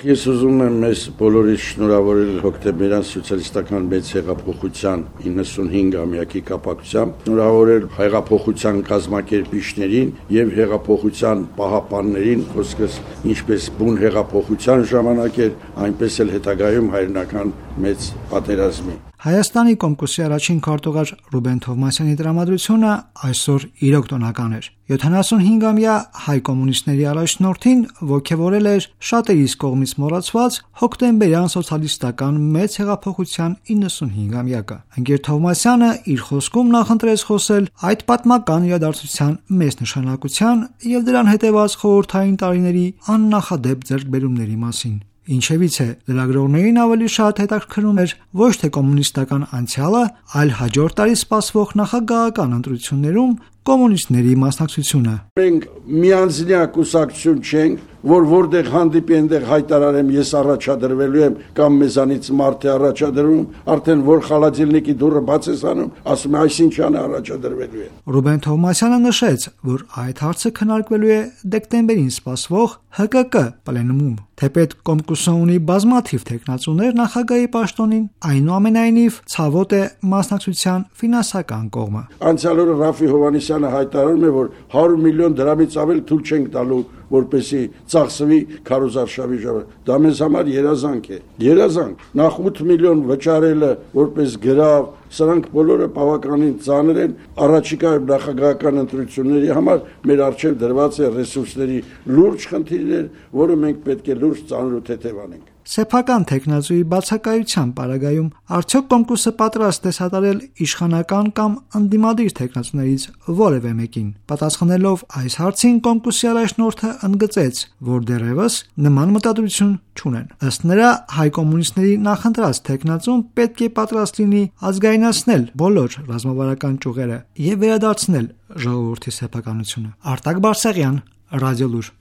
Ես ուզում եմ մեզ բոլորից շնորհավորել հոկտեմբերյան սոցիալիստական մեծ հեղափոխության 95-ամյակի կապակցությամբ, շնորհավորել հեղափոխության կազմակերպիչներին եւ հեղափոխության պահապաններին, խոսքս ինչպես բուն հեղափոխության ժամանակ էր, այնպես էլ հետագայում հայրենական մեծ պատերազմի։ Հայաստանի Կոմկուսի առաջին քարտուղար Ռուբեն Թովմասյանի տրամադրությունը այսօր իրոք տոնական էր։ 75-ամյա հայ կոմունիստների առաջնորդին ոգևորել էր շատերիս կողմից մոռացված հոկտեմբերյան սոցիալիստական մեծ հեղափոխության 95-ամյակը։ Ընկեր Թովմասյանը իր խոսքում նախընտրեց խոսել այդ պատմական իրադարձության մեծ նշանակության եւ դրան հետեւած խորհրդային տարիների աննախադեպ ձեռքբերումների մասին։ Ինչևից է, լրագրողներին ավելի շատ հետաքրքրում էր ոչ թե կոմունիստական անցյալը, այլ հաջորդ տարի սպասվող նախագահական ընտրություններում կոմունիստների մասնակցությունը։ Մենք միանձնյա կուսակցություն չենք, որտեղ հանդիպի այնտեղ հայտարարեմ ես առաջադրվելու եմ կամ մեզանից մարդ է առաջադրվում, արդեն որ խալաձելնիկի դուռը բաց ես անում, ասում է այսինչան առաջադրվելու է։ Ռուբեն Թովմասյանը նշեց, որ այդ հարցը քննարկվելու է դեկտեմբերին սպասվող ՀԿԿ պլենումում։ Թեպետ Կոմկուսը ունի բազմաթիվ թեկնածուներ նախագահի պաշտոնին, այնուամենայնիվ ցավոտ է մասնակցության ֆինանսական կողմը։ Անցյալ օրը Ռաֆի Հովհաննիսյանը հայտարարում է, որ 100 միլիոն դրամից ավել թույլ չենք տալու, որպեսի ծախսվի քարոզարշավի ժամանակ։ Դա մեզ համար երազանք է։ Երազանք։ Նախ 8 միլիոն վճարելը որպես գրավ, սրանք բոլորը բավականին ծանր են։ Առաջիկայում նախագահական ընտրությունների համար մեր առջև դրված է ռեսուրսների լուրջ խնդիրներ, որը մենք պետք է լուրջ ծանր ու թեթև անենք։ Սեփական տեխնազուի բացակայության պարագայում արդյոք Կոմկուսը պատրաստ է սատարել իշխանական կամ ընդդիմադիր տեխնացուներից որևէ մեկին։ Պատասխանելով այս հարցին Կոմկուսի առաջնորդը ընդգծեց, որ դեռևս նման մտադրություն չունեն։ Ըստ նրա, հայ կոմունիստների նախընտրած տեխնացուն պետք է պատրաստ լինի ազգայնացնել բոլոր ռազմավարական ճյուղերը եւ վերադարձնել ժողովրդի սեփականությունը։ Արտակ Բարսեղյան, Ռադիոլուր։